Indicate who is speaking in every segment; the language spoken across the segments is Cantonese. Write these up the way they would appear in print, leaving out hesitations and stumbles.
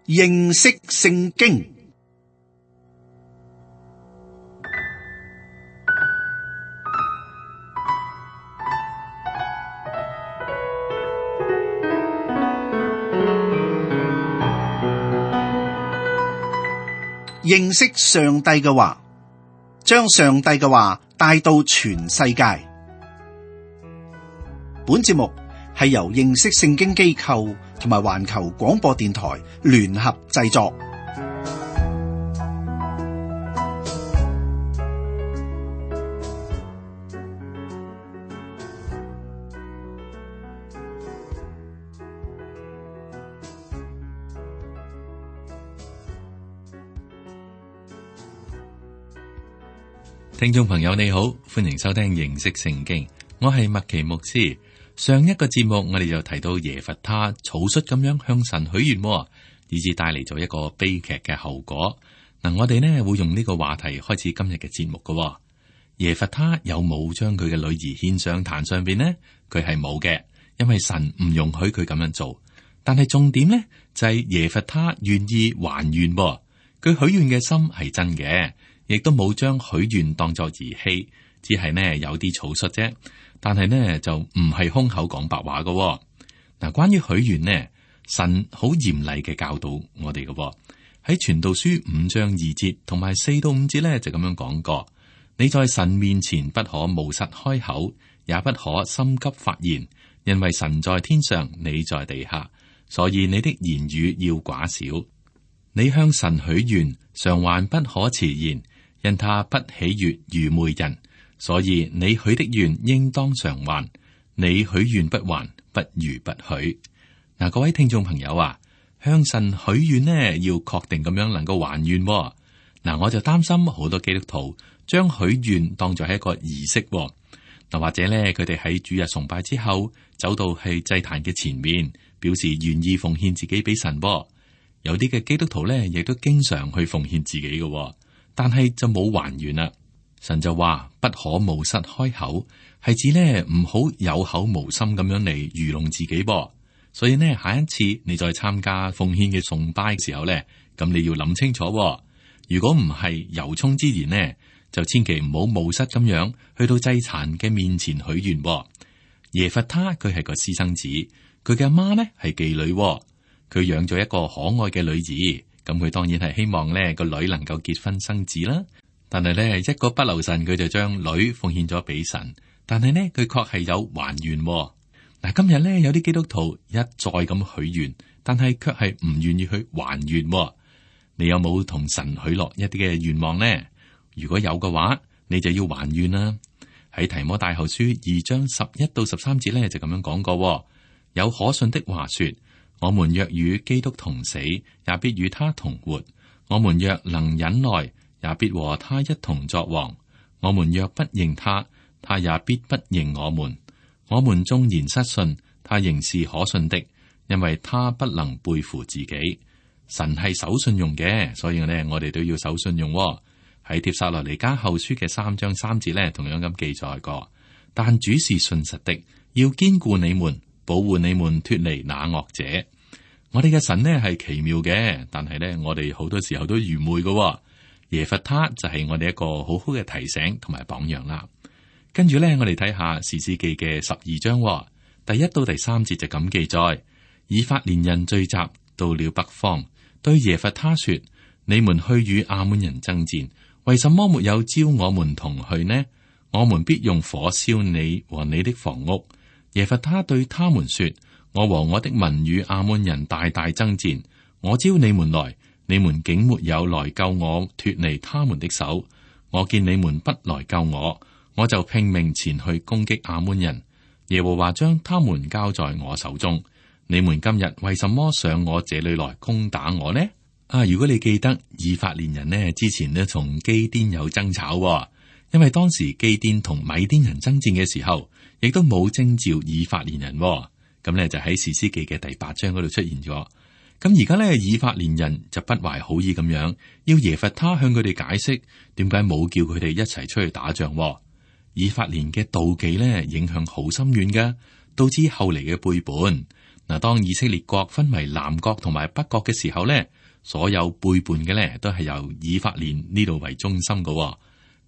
Speaker 1: 認識聖經。認識上帝嘅話，將上帝嘅話帶到全世界。本節目係由認識聖經機構同埋環球廣播電台聯合製作。
Speaker 2: 聽眾朋友你好，歡迎收聽認識聖經，我係麥奇牧師。上一個節目我哋就提到耶弗他草率咁樣向神許願，以致帶嚟咗一個悲劇嘅後果。嗱，我哋呢會用呢個話題開始今日嘅節目嘅。耶弗他有冇將佢嘅女兒獻上壇上邊呢？佢係冇嘅，因為神唔容許佢咁樣做。但係重點呢就係耶弗他願意還願，佢許願嘅心係真嘅。亦都冇將許願當作兒戲，只係呢有啲草率啫。但係呢就唔係空口講白話嘅。嗱，關於許願呢，神好嚴厲嘅教導我哋嘅。喺傳道書5章2節同埋4到5節呢就咁樣講過：你在神面前不可冒失開口，也不可心急發言，因為神在天上，你在地下，所以你的言語要寡少。你向神許願，償還不可遲延。因他不喜悅愚昧人，所以你許的願應當償還。你許願不還，不如不許。嗱，各位聽眾朋友啊，向神許願呢，要確定咁樣能夠還願。嗱，我就擔心好多基督徒將許願當作係一個儀式。嗱，或者咧，佢哋喺主日崇拜之後走到係祭壇嘅前面，表示願意奉獻自己俾神。有啲嘅基督徒咧，亦都經常去奉獻自己嘅。但係就冇還願啦，神就話不可冒失開口，係指呢唔好有口無心咁樣嚟愚弄自己噃。所以呢，下一次你再參加奉獻嘅崇拜嘅時候呢，咁你要諗清楚。如果唔係由衷之言呢，就千祈唔好冒失咁樣去到祭壇嘅面前許願。耶弗他佢係個私生子，佢嘅阿媽呢係妓女，佢養咗一個可愛嘅女兒。咁佢當然係希望呢個女能夠結婚生子啦，但係呢一個不留神，佢就將女奉獻咗俾神。但係呢佢確係有還願。嗱，今日呢有啲基督徒一再咁許願，但係卻係唔願意去還願。你有冇同神許落一啲嘅願望呢？如果有嘅話，你就要還願啦。喺提摩太後書2章11到13節呢就咁樣講過，有可信的話說。我們若與基督同死，也必與他同活；我們若能忍耐，也必和他一同作王。我們若不認他，他也必不認我們。我們縱然失信，他仍是可信的，因為他不能背負自己。神係守信用嘅，所以呢，我哋都要守信用。喺帖撒羅尼迦後書嘅3章3節呢，同樣咁記載過。但主是信實的，要堅固你們，保護你們脫離那惡者。我哋嘅神呢係奇妙嘅，但係呢，我哋好多時候都愚昧嘅。耶弗他就係我哋一個好好嘅提醒同埋榜樣啦。跟住呢，我哋睇下士師記嘅12章第1到第3節就咁記載：以法蓮人聚集到了北方，對耶弗他說：你們去與亞捫人爭戰，為什麼沒有招我們同去呢？我們必用火燒你和你的房屋。耶弗他對他們說：我和我的民與亞捫人大大爭戰，我招你們來，你們竟沒有來救我脫離他們的手。我見你們不來救我，我就拼命前去攻擊亞捫人。耶和華將他們交在我手中。你們今日為什麼上我這裏來攻打我呢？如果你記得以法蓮人呢，之前呢同基甸有爭吵，因為當時基甸同米甸人爭戰嘅時候，亦都冇徵召以法蓮人。咁咧就喺士師記嘅第8章嗰度出現咗。咁而家咧以法蓮人就不懷好意咁樣，要耶弗他向佢哋解釋點解冇叫佢哋一齊出去打仗。以法蓮嘅妒忌咧影響好深遠嘅，導致後嚟嘅背叛。嗱，當以色列國分為南國同埋北國嘅時候咧，所有背叛嘅咧都係由以法蓮呢度為中心嘅。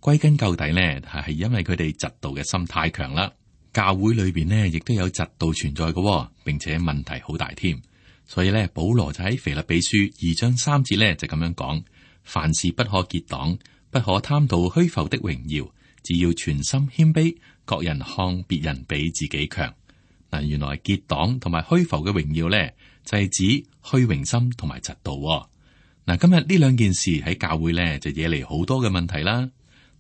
Speaker 2: 歸根究底咧，係因為佢哋嫉妒嘅心太強啦。教會裏邊呢，亦都有嫉妒存在嘅，並且問題好大添。所以咧，保羅就喺腓立比書2章3節咧就咁樣講：凡事不可結黨，不可貪圖虛浮的榮耀，只要全心謙卑，各人看別人比自己強。嗱，原來結黨同埋虛浮嘅榮耀咧，就係指虛榮心同埋嫉妒。嗱，今日呢兩件事喺教會咧就惹嚟好多嘅問題啦。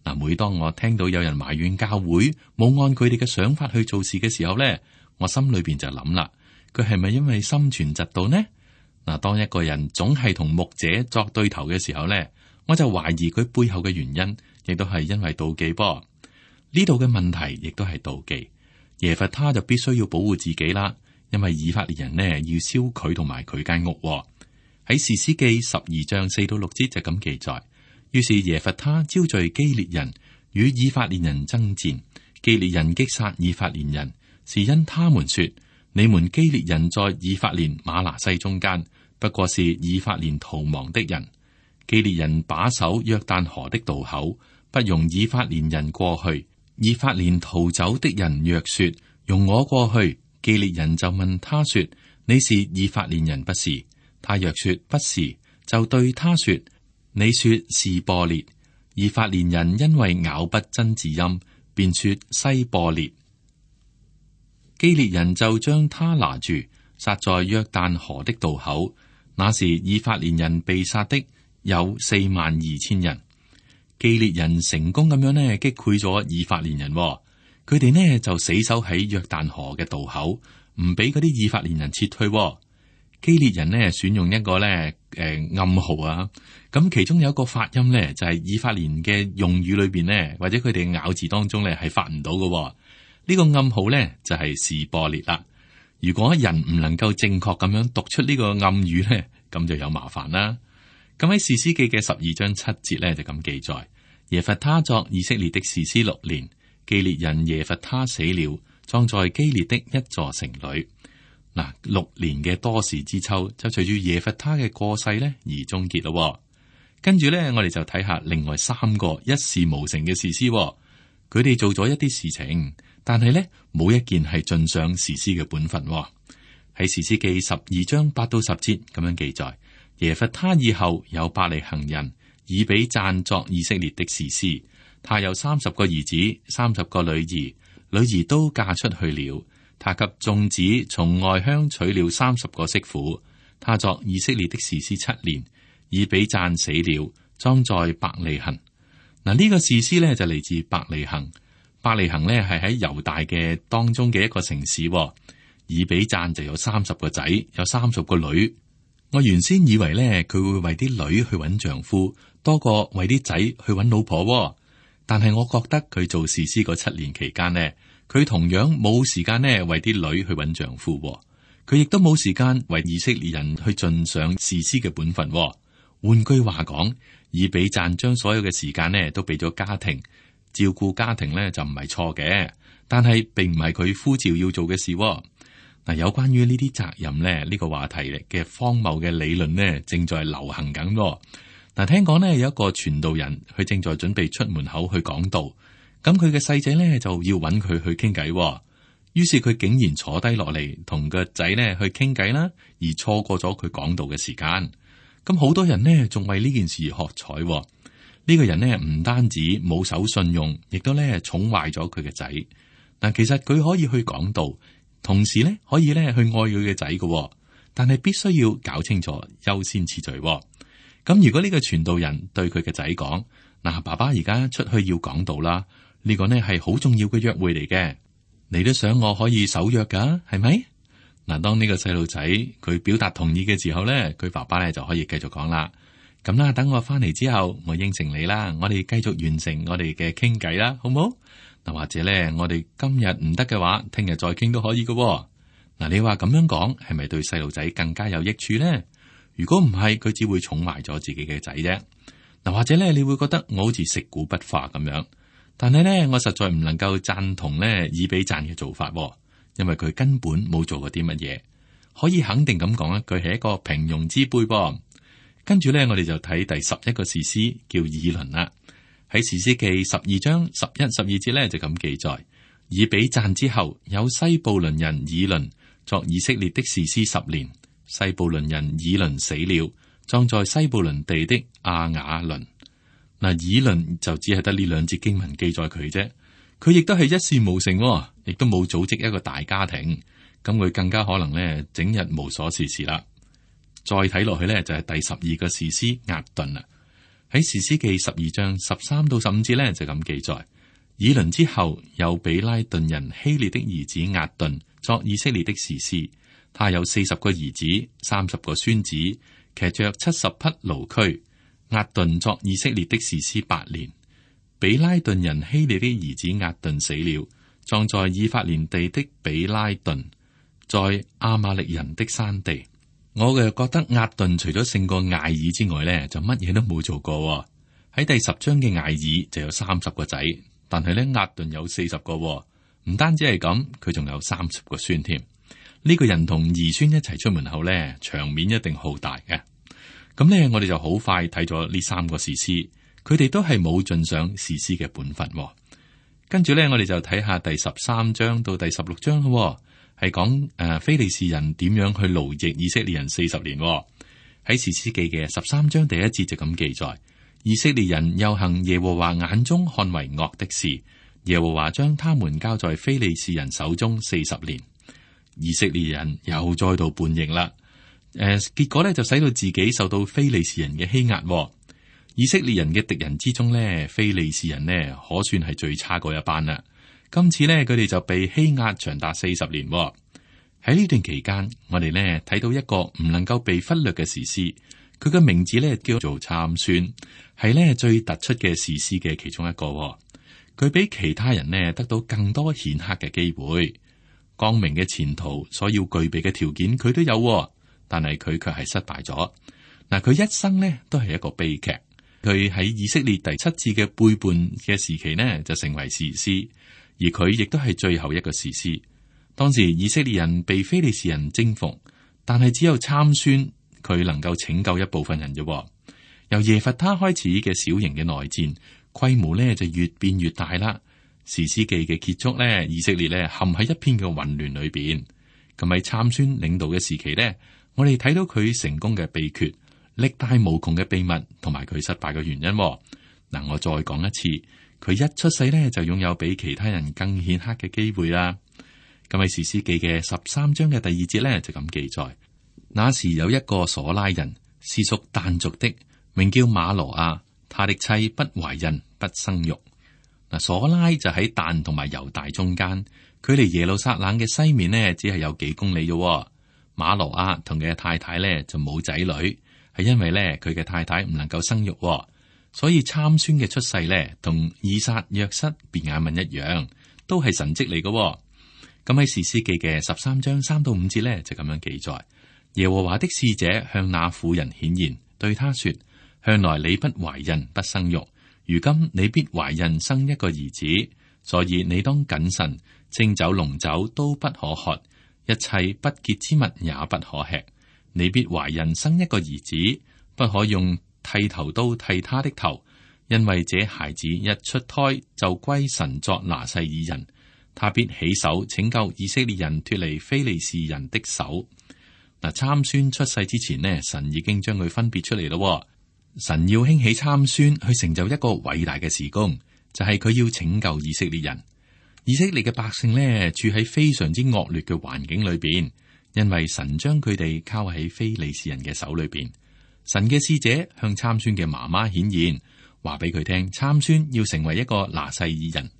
Speaker 2: 嗱，每當我聽到有人埋怨教會冇按佢哋嘅想法去做事嘅時候咧，我心裏邊就諗啦，佢係咪因為心存嫉妒呢？嗱，當一個人總係同牧者作對頭嘅時候咧，我就懷疑佢背後嘅原因，亦都係因為妒忌噃。呢度嘅問題亦都係妒忌。耶弗他就必須要保護自己啦，因為以法蓮人呢要燒佢同埋佢間屋。喺士師記12章4到6節就咁記載。於是耶弗他招聚基列人與以法蓮人爭戰，基列人擊殺以法蓮人，是因他們說：你們基列人在以法蓮瑪拿西中間，不過是以法蓮逃亡的人。基列人把守約旦河的渡口，不容以法蓮人過去。以法蓮逃走的人若說：容我過去，基列人就問他說：你是以法蓮人不是？他若說不是，就對他說：你說是播列。以法蓮人因為咬不真字音，便說西播列。基列人就將他拿住，殺在約旦河的渡口。那時以法蓮人被殺的有42000人。基列人成功咁樣呢擊潰咗以法蓮人，佢哋呢就死守喺約旦河嘅渡口，唔俾嗰啲以法蓮人撤退。基列人呢選用一個暗號啊，咁其中有一個發音呢，就係以法蓮嘅用語裏邊呢，或者佢哋咬字當中呢係發唔到嘅。呢個暗號呢，就係示播列啦。如果人唔能夠正確咁樣讀出呢個暗語呢，咁就有麻煩啦。咁喺士師記嘅12章7節呢，就咁記載：耶弗他作以色列的士師6年，基列人耶弗他死了，葬在基列的一座城裏。嗱，6年嘅多事之秋就隨住耶弗他嘅過世呢而終結咯。跟住呢，我哋就睇下另外3個一事無成嘅士師，佢哋做咗一啲事情，但係呢冇一件係盡上士師嘅本分。喺士師記12章8到10節咁樣記載：耶弗他以後有伯利恆人以比讚作以色列的士師，他有30個兒子，30個女兒，女兒都嫁出去了。他給眾子從外鄉娶了30個媳婦。他作以色列的士師7年，以比讚死了，葬在伯利恆。嗱，呢個士師呢就嚟自伯利恆。伯利恆呢係喺猶大嘅當中嘅一個城市。以比讚就有30個仔，有30個女。我原先以為呢，佢會為啲女去揾丈夫，多過為啲仔去揾老婆。但係我覺得佢做士師嗰7年期間呢，佢同樣冇時間呢為啲女去揾丈夫。佢亦都冇時間為以色列人去盡上士師嘅本分。換句話講，以比讚將所有嘅時間呢都俾咗家庭，照顧家庭呢就唔係錯嘅，但係並唔係佢呼召要做嘅事。嗱，有關於呢啲責任呢，呢個話題嘅荒謬嘅理論呢，正在流行緊。嗱，聽講呢有一個傳道人，佢正在準備出門口去講道，咁佢嘅細仔呢就要揾佢去傾偈，於是佢竟然坐低落嚟同個仔呢去傾偈啦，而錯過咗佢講道嘅時間。咁好多人呢仲為呢件事而喝彩。呢個人呢唔單止冇守信用，亦都呢寵壞咗佢嘅仔。嗱，其實佢可以去講道，同時呢可以呢去愛佢嘅仔嘅，但係必須要搞清楚優先次序。咁如果呢個傳道人對佢嘅仔講：嗱，爸爸而家出去要講道啦，呢個呢係好重要嘅約會嚟嘅，你都想我可以守約噶，係咪？嗱，當呢個細路仔佢表達同意嘅時候呢，佢爸爸呢就可以繼續講啦。咁啦，等我翻嚟之後，我應承你啦，我哋繼續完成我哋嘅傾偈啦，好唔好？嗱，或者呢，我哋今日唔得嘅話，聽日再傾都可以嘅。嗱，你話咁樣講係咪對細路仔更加有益處呢？如果唔係，佢只會寵壞咗自己嘅仔啫。嗱，或者咧，你會覺得我好似食古不化咁樣，但係咧，我實在唔能夠贊同咧以比讚嘅做法，因為佢根本冇做過啲乜嘢。可以肯定咁講，佢係一個平庸之輩噃。跟住咧，我哋就睇第11個士師叫以倫啦。喺士師記12章11、12節咧就咁記載：以比讚之後，有西布倫人以倫作以色列的士師10年。西布倫人以倫死了，葬在西布倫地的亞雅倫。嗱，以倫就只係得呢2節經文記載佢啫。佢亦都係一事無成，亦都冇組織一個大家庭。咁佢更加可能咧，整日無所事事啦。再睇落去咧，就係第12個士師押頓啦。喺士師記12章13到15節咧，就咁記載：以倫之後，有比拉頓人希列的兒子押頓作以色列的士師。他有40個兒子，30個孫子，騎着70匹驢駒。押頓作以色列的士師8年。比拉頓人希列的兒子押頓死了，葬在以法蓮地的比拉頓，在亞瑪力人的山地。我嘅覺得押頓除咗勝過艾爾之外咧，就乜嘢都冇做過。喺第10章嘅艾爾就有30個仔，但係咧押頓有40個，唔單止係咁，佢仲有30個孫添。呢個人同兒孫一齊出門口咧，場面一定好大嘅。咁咧，我哋就好快睇咗呢3個士師，佢哋都係冇盡上士師嘅本分。跟住咧，我哋就睇下第13章到第16章咯。係講非利士人點樣去奴役以色列人40年。喺士師記嘅13章第1節就咁記載：以色列人又行耶和華眼中看為惡的事，耶和華將他們交在非利士人手中40年。以色列人又再度叛逆啦。結果咧就使到自己受到非利士人嘅欺壓。以色列人嘅敵人之中咧，非利士人呢可算係最差嗰一班啦。今次呢，佢哋就被欺壓長達40年。喺呢段期間，我哋呢睇到一個唔能夠被忽略嘅士師，佢嘅名字呢叫做參孫，係呢最突出嘅士師嘅其中一個。佢比其他人呢得到更多顯赫嘅機會，光明嘅前途所要具備嘅條件佢都有，但係佢卻係失敗咗。嗱，佢一生呢都係一個悲劇。佢喺以色列第7次嘅背叛嘅時期呢，就成為士師。而佢亦都係最後一個士師。當時以色列人被非利士人征服，但係只有參孫佢能夠拯救一部分人啫。由耶弗他開始嘅小型嘅內戰，規模呢就越變越大啦。士師記嘅結束呢，以色列呢陷喺一片嘅混亂裏邊。咁喺參孫領導嘅時期呢，我哋睇到佢成功嘅秘訣、力大無窮嘅秘密，同埋佢失敗嘅原因。嗱，我再講一次。佢一出世咧就擁有比其他人更顯赫嘅機會啦。咁喺士師記嘅13章嘅第2節咧就咁記載：那時有一個瑣拉人，是屬但族的，名叫馬羅亞，他的妻不懷孕不生育。嗱，瑣拉就喺但同埋猶大中間，距離耶路撒冷嘅西面呢只係有幾公里啫。馬羅亞同佢嘅太太咧就冇仔女，係因為咧佢嘅太太唔能夠生育。所以參孫嘅出世咧，同以撒、約瑟、便雅憫一樣，都係神蹟嚟嘅。咁喺士師記嘅13章3到5節咧，就咁樣記載：耶和華的使者向那婦人顯現，對他說：向來你不懷孕不生育，如今你必懷孕生一個兒子，所以你當謹慎，清酒濃酒都不可喝，一切不潔之物也不可吃。你必懷孕生一個兒子，不可用剃頭刀剃他的頭，因為這孩子一出胎就歸神作拿細耳人，他必起手拯救以色列人脫離非利士人的手。嗱，參孫出世之前呢，神已經將佢分別出嚟咯。神要興起參孫去成就一個偉大嘅事工，就係佢要拯救以色列人。以色列嘅百姓呢，處喺非常之惡劣嘅環境裏邊，因為神將佢哋交喺非利士人嘅手裏邊。神嘅使者向參孫嘅媽媽顯現，話俾佢聽，參孫要成為一個拿細耳人。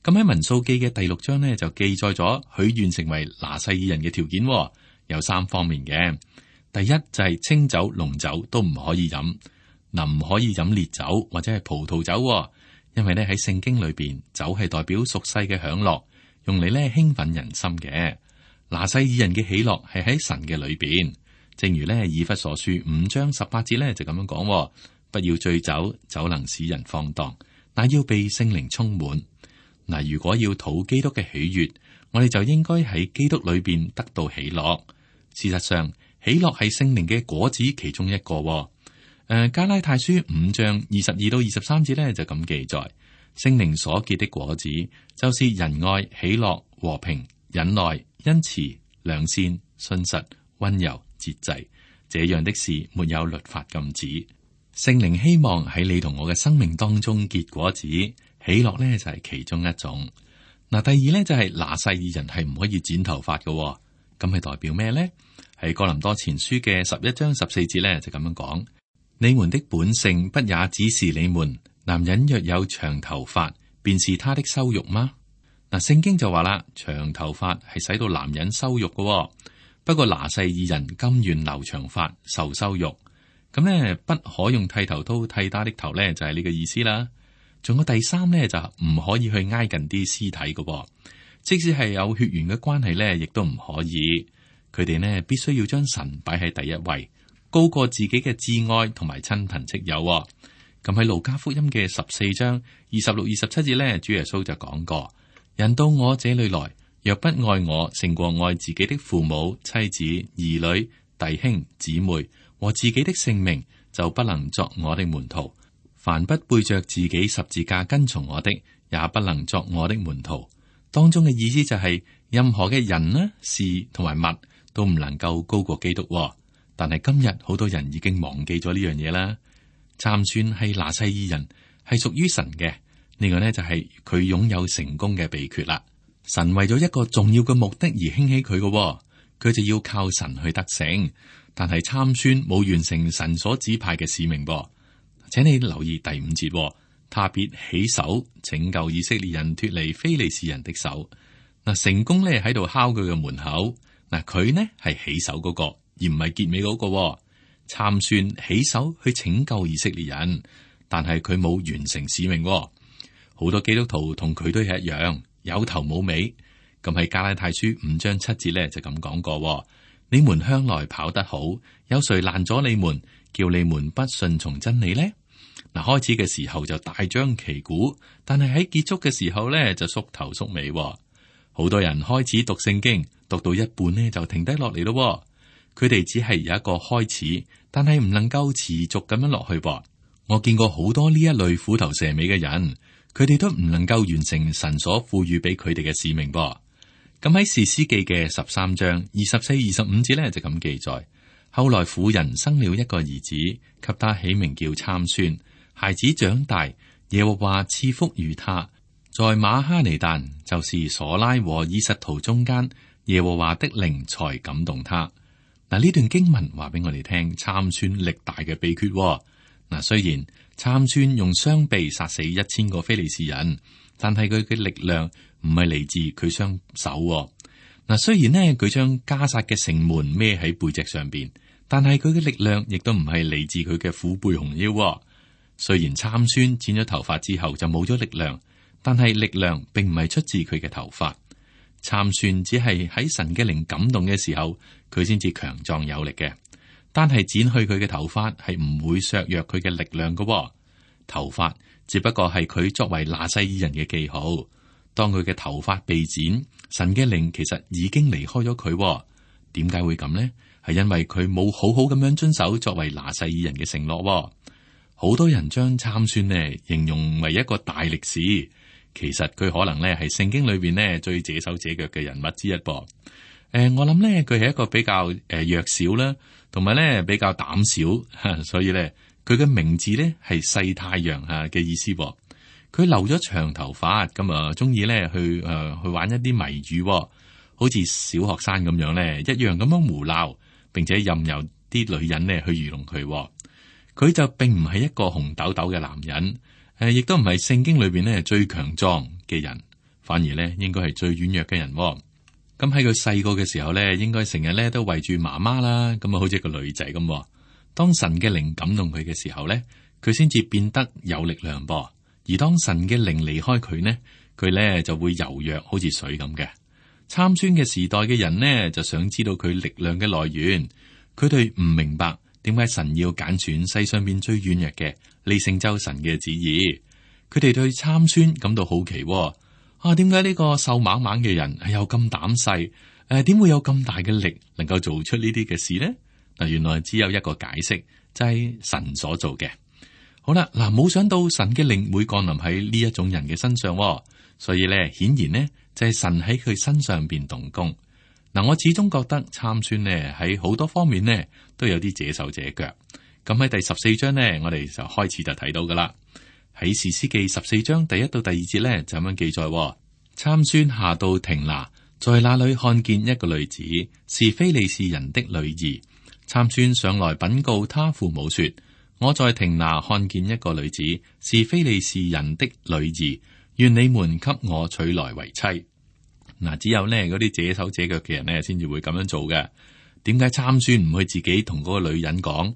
Speaker 2: 咁喺民數記嘅第6章呢，就記載咗許願成為拿細耳人嘅條件，有3方面嘅。第一就係清酒、濃酒都唔可以飲，唔可以飲烈酒或者係葡萄酒，因為咧喺聖經裏邊，酒係代表俗世嘅享樂，用嚟咧興奮人心嘅。拿細耳人嘅喜樂係喺神嘅裏邊。正如咧以弗所書5章18節咧就咁樣講，不要醉酒，酒能使人放蕩，但要被聖靈充滿。嗱，如果要討基督嘅喜悅，我哋就應該喺基督裏邊得到喜樂。事實上，喜樂係聖靈嘅果子其中一個。加拉太書5章22到23節咧就咁記載，聖靈所結的果子就是仁愛、喜樂、和平、忍耐、恩慈、良善、信實、溫柔、節制。這樣的事沒有律法禁止。聖靈希望喺你同我嘅生命當中結果子，喜樂呢就係其中一種。嗱，第二呢就係拿細耳人係唔可以剪頭髮嘅，咁係代表咩呢？喺哥林多前書嘅11章14節呢就咁樣講：你們的本性不也指示你們，男人若有長頭髮，便是他的羞辱嗎？嗱，聖經就話啦，長頭髮係使到男人羞辱嘅。不過拿細耳人甘願留長髮受羞辱，咁呢不可用剃頭刀剃他的頭呢，就係呢個意思啦。仲有第三呢，就唔可以去挨近啲屍體嘅，即使係有血緣嘅關係呢，亦都唔可以。佢哋呢必須要將神擺喺第一位，高過自己嘅摯愛同埋親朋戚友。咁喺路加福音嘅14章26、27節呢，主耶穌就講過：人到我這裏來，若不愛我勝過愛自己的父母、妻子、兒女、弟兄、姊妹和自己的性命，就不能作我的門徒。凡不背着自己十字架跟從我的，也不能作我的門徒。當中嘅意思就係、任何嘅人呢、事同埋物都唔能夠高過基督。但係今日好多人已經忘記咗呢樣嘢啦。參孫係拿細耳人，係屬於神嘅。呢個呢就係佢擁有成功嘅秘訣啦。神為咗一個重要嘅目的而興起佢嘅，佢就要靠神去得勝。但係參孫冇完成神所指派嘅使命噃，請你留意第5節，他必起手拯救以色列人脫離非利士人的手。嗱，成功咧喺度敲佢嘅門口。嗱，佢呢係起手嗰個，而唔係結尾嗰個。參孫起手去拯救以色列人，但係佢冇完成使命。好多基督徒同佢都係一樣。有頭冇尾，咁喺加拉太書5章7節咧就咁講過：你們向來跑得好，有誰攔咗你們，叫你們不順從真理呢？嗱，開始嘅時候就大張旗鼓，但係喺結束嘅時候咧就縮頭縮尾。好多人開始讀聖經，讀到一半呢就停低落嚟咯。佢哋只係有一個開始，但係唔能夠持續咁樣落去。我見過好多呢一類虎頭蛇尾嘅人。佢哋都唔能夠完成神所賦予俾佢哋嘅使命噃。咁喺士師記嘅13章24、25節咧就咁記載：後來婦人生了一個兒子，給他起名叫參孫。孩子長大，耶和華賜福與他，在馬哈尼但，就是索拉和以實圖中間，耶和華的靈才感動他。嗱，呢段經文話俾我哋聽參孫力大嘅秘訣。嗱，雖然參孫用雙臂殺死1000個非利士人，但係佢嘅力量唔係嚟自佢雙手。嗱，雖然呢佢將加薩嘅城門孭喺背脊上邊，但係佢嘅力量亦都唔係嚟自佢嘅虎背熊腰。雖然參孫剪咗頭髮之後就冇咗力量，但係力量並唔係出自佢嘅頭髮。參孫只係喺神嘅靈感動嘅時候，佢先至強壯有力嘅。單係剪去佢嘅頭髮係唔會削弱佢嘅力量嘅。頭髮只不過係佢作為拿細耳人嘅記號。當佢嘅頭髮被剪，神嘅靈其實已經離開咗佢。點解會咁呢？係因為佢冇好好咁樣遵守作為拿細耳人嘅承諾。好多人將參孫呢形容為一個大力士，其實佢可能呢係聖經裏邊呢最這手這腳嘅人物之一噃。我諗呢佢係一個比較弱小啦。同埋咧比較膽小，所以咧佢嘅名字咧係細太陽嘅意思。佢留咗長頭髮，咁啊中意咧去玩一啲謎語，好似小學生咁樣咧，一樣咁樣胡鬧，並且任由啲女人咧去愚弄佢。佢就並唔係一個紅豆豆嘅男人，亦都唔係聖經裏邊咧最強壯嘅人，反而咧應該係最軟弱嘅人。咁喺佢細個嘅時候咧，應該成日咧都圍住媽媽啦，咁啊好似一個女仔咁。當神嘅靈感動佢嘅時候咧，佢先至變得有力量噃。而當神嘅靈離開佢呢，佢咧就會柔弱，好似水咁嘅。參孫嘅時代嘅人呢，就想知道佢力量嘅來源，佢哋唔明白點解神要揀選世上邊最軟弱嘅嚟成就神嘅旨意。佢哋對參孫感到好奇。點解呢個瘦猛猛嘅人又咁膽細？點會有咁大嘅力能夠做出呢啲嘅事呢？嗱，原來只有一個解釋，就係神所做嘅。好啦，嗱，冇想到神嘅靈會降臨喺呢一種人嘅身上，所以咧，顯然呢就係神喺佢身上邊動工。嗱，我始終覺得參孫呢喺好多方面呢都有啲這手這腳。咁喺第14章呢，我哋就開始就睇到噶啦。喺士師記14章第1到第2節呢，就咁樣記載：參孫下到亭拿，在那裏看見一個女子，是非利士人的女兒。參孫上來稟告他父母說：我在亭拿看見一個女子，是非利士人的女兒，願你們給我娶來為妻。嗱，只有呢嗰啲這手這腳嘅人呢，先至會咁樣做嘅。點解參孫唔去自己同嗰個女人講？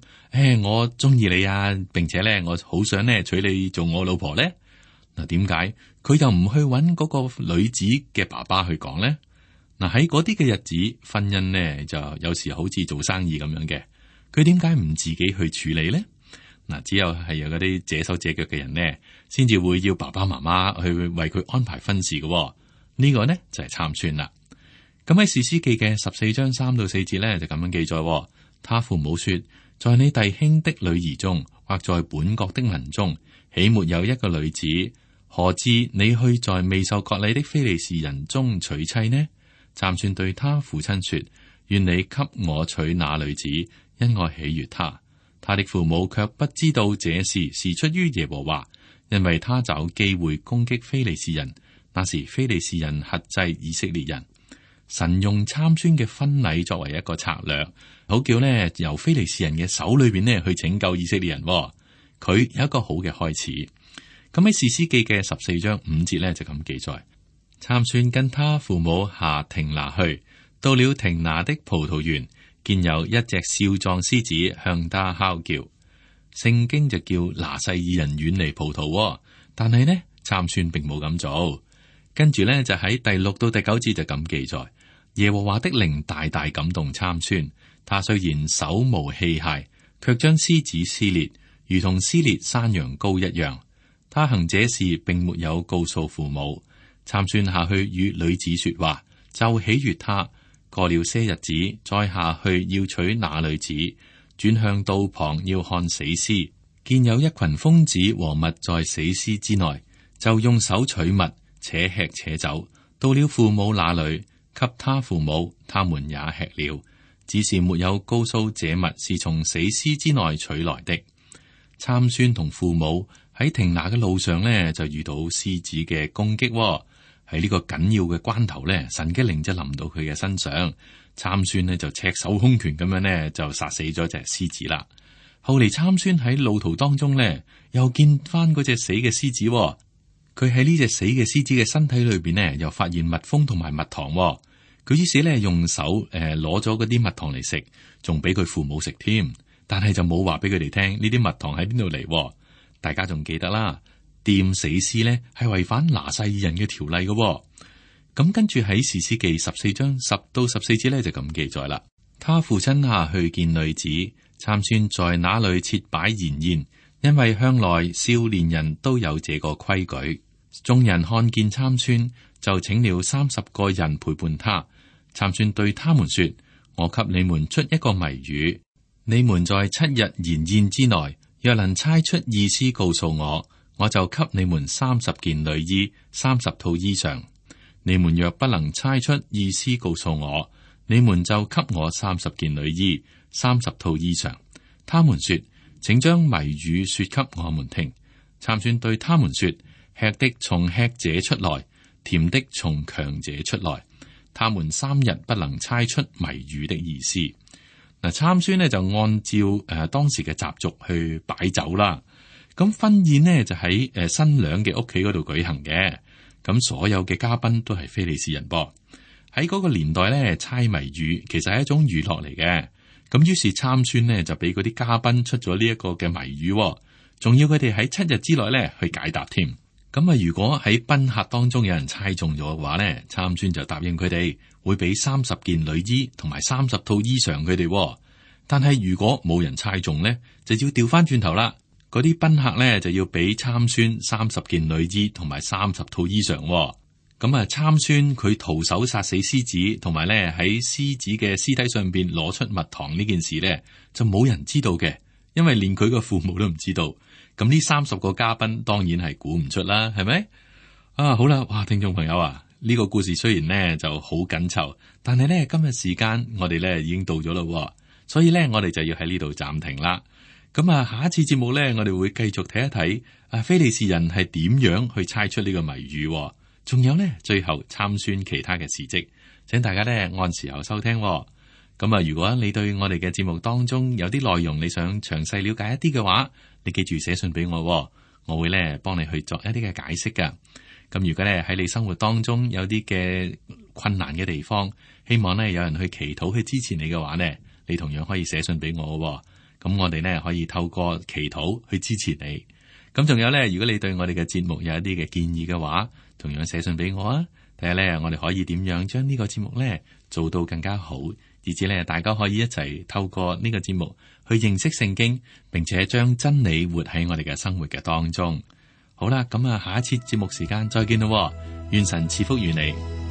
Speaker 2: 我中意你啊，並且呢，我好想呢娶你做我老婆呢？嗱，點解佢又唔去揾嗰個女子嘅爸爸去講呢？嗱，喺嗰啲嘅日子，婚姻呢就有時好似做生意咁樣嘅。佢點解唔自己去處理呢？嗱，只有係有嗰啲這手這腳嘅人呢，先至會要爸爸媽媽去為佢安排婚事嘅。呢個呢就係參孫啦。咁喺士師記嘅14章3到4節呢，就咁樣記載：他父母說，在你弟兄的女兒中，或在本國的民中，豈沒有一個女子？何至你去在未受割禮的非利士人中娶妻呢？參孫對他父親說：願你給我娶那女子，因我喜悅她。他的父母卻不知道這事是出於耶和華，因為他找機會攻擊非利士人。那時非利士人轄制以色列人。神用參孫嘅婚禮作為一個策略，好叫呢由非利士人嘅手裏邊呢去拯救以色列人。佢有一個好嘅開始。咁喺士師記嘅14章5節呢，就咁記載：參孫跟他父母下亭拿去，到了亭拿的葡萄園，見有一隻少壯獅子向他哮叫。聖經就叫拿細耳人遠離葡萄，但係呢參孫並冇咁做。跟住呢，就喺第6到第9節就咁記載：耶和華的靈大大感動參孫，他雖然手無器械，卻將獅子撕裂，如同撕裂山羊羔一樣。他行這事並沒有告訴父母。參孫下去與女子說話，就喜悅他。過了些日子，再下去要娶那女子，轉向道旁要看死屍，見有一群蜂子和蜜在死屍之內，就用手取蜜，且吃且走，到了父母那裏，給他父母，他們也吃了，只是沒有告訴這蜜是從死屍之內取來的。參孫同父母喺亭拿嘅路上呢，就遇到獅子嘅攻擊。喺呢個緊要嘅關頭呢，神嘅靈就臨到佢嘅身上，參孫呢就赤手空拳咁樣呢，就殺死咗隻獅子啦。後嚟參孫喺路途當中呢，又見翻嗰隻死嘅獅子，佢喺呢隻死嘅獅子嘅身體裏邊呢，又發現蜜蜂同埋蜜糖。佢於是呢，用手攞咗嗰啲蜜糖嚟食，仲俾佢父母食添，但係就冇話俾佢哋聽呢啲蜜糖喺邊度嚟。大家仲記得啦，掂死屍呢係違反拿細耳人嘅條例嘅。咁跟住喺士師記14章10到14節呢，就咁記載啦。他父親下去見女子，參孫在那裏設擺筵宴，因為向來少年人都有這個規矩。眾人看見參孫，就請了30個人陪伴他。參孫對他們說：我給你們出一個謎語，你們在7日筵宴之內，若能猜出意思告訴我，我就給你們30件女衣、30套衣裳。你們若不能猜出意思告訴我，你們就給我30件女衣、30套衣裳。他們說：請將謎語說給我們聽。參孫對他們說：吃的從吃者出來，甜的從強者出來。他們3日不能猜出謎語的意思。嗱，參孫呢就按照當時嘅習俗去擺酒啦。咁婚宴呢就喺新娘嘅屋企嗰度舉行嘅。咁所有嘅嘉賓都係非利士人噃。喺嗰個年代咧，猜謎語其實係一種娛樂嚟嘅。咁於是參孫呢就俾嗰啲嘉賓出咗呢一個嘅謎語，仲要佢哋喺7日之內咧去解答添。咁啊，如果喺賓客當中有人猜中咗嘅話咧，參孫就答應佢哋會俾30件女衣同埋30套衣裳佢哋。但係如果冇人猜中咧，就要調翻轉頭啦。嗰啲賓客咧就要俾參孫30件女衣同埋30套衣裳。咁啊，參孫佢徒手殺死獅子，同埋咧喺獅子嘅屍體上邊攞出蜜糖呢件事咧，就冇人知道嘅，因為連佢個父母都唔知道。咁呢30個嘉賓當然係估唔出啦，係咪？啊，好啦，哇，聽眾朋友啊，呢個故事雖然呢就好緊湊，但係呢，今日時間我哋呢已經到咗咯，所以呢，我哋就要喺呢度暫停啦。咁啊，下一次節目呢，我哋會繼續睇一睇非利士人係點樣去猜出呢個謎語，仲有呢，最後參孫其他嘅事蹟，請大家呢按時候收聽。咁啊，如果你對我哋嘅節目當中有啲內容你想詳細了解一啲嘅話，你記住寫信俾我，我會呢幫你去作一啲嘅解釋噶。咁如果咧喺你生活當中有啲嘅困難嘅地方，希望咧有人去祈禱去支持你嘅話呢，你同樣可以寫信俾我。咁我哋呢可以透過祈禱去支持你。咁仲有呢，如果你對我哋嘅節目有一啲嘅建議嘅話，同樣寫信俾我啊，睇下呢，我哋可以點樣將呢個節目呢做到更加好，以至呢大家可以一齊透過呢個節目去認識聖經，並且將真理活喺我哋嘅生活嘅當中。好啦，咁啊，下一次節目時間再見咯，願神賜福於你。